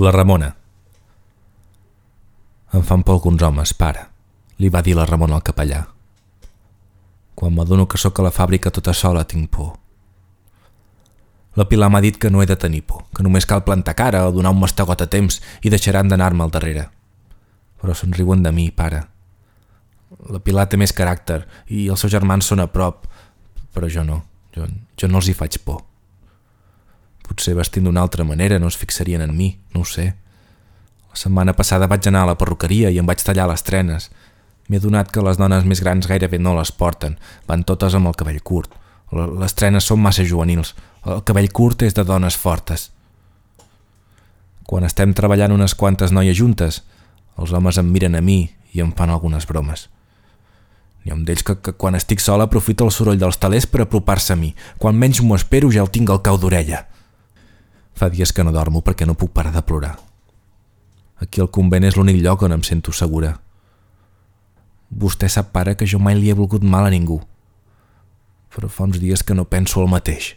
La Ramona. Em fan por alguns homes, pare, li va dir la Ramona al capellà. Quan m'adono que sóc a la fàbrica tota sola tinc por. La Pilar m'ha dit que no he de tenir por, que només cal plantar cara o donar un mastegot a temps i deixaran d'anar-me al darrere. Però se'n riuen de mi, pare. La Pilar té més caràcter i els seus germans són a prop, però jo no, jo no els hi faig por. Potser vestint d'una altra manera no es fixarien en mi, no ho sé. La setmana passada vaig anar a la perruqueria i em vaig tallar les trenes. M'he adonat que les dones més grans gairebé no les porten, van totes amb el cabell curt. Les trenes són massa juvenils, el cabell curt és de dones fortes. Quan estem treballant unes quantes noies juntes, els homes em miren a mi i em fan algunes bromes. N'hi ha un d'ells que quan estic sola aprofita el soroll dels telers per apropar-se a mi. Quan menys m'ho espero ja el tinc al cau d'orella. Fa dies que no dormo perquè no puc parar de plorar. Aquí al convent és l'únic lloc on em sento segura. Vostè sap, pare, que jo mai li he volgut mal a ningú. Però fa uns dies que no penso el mateix.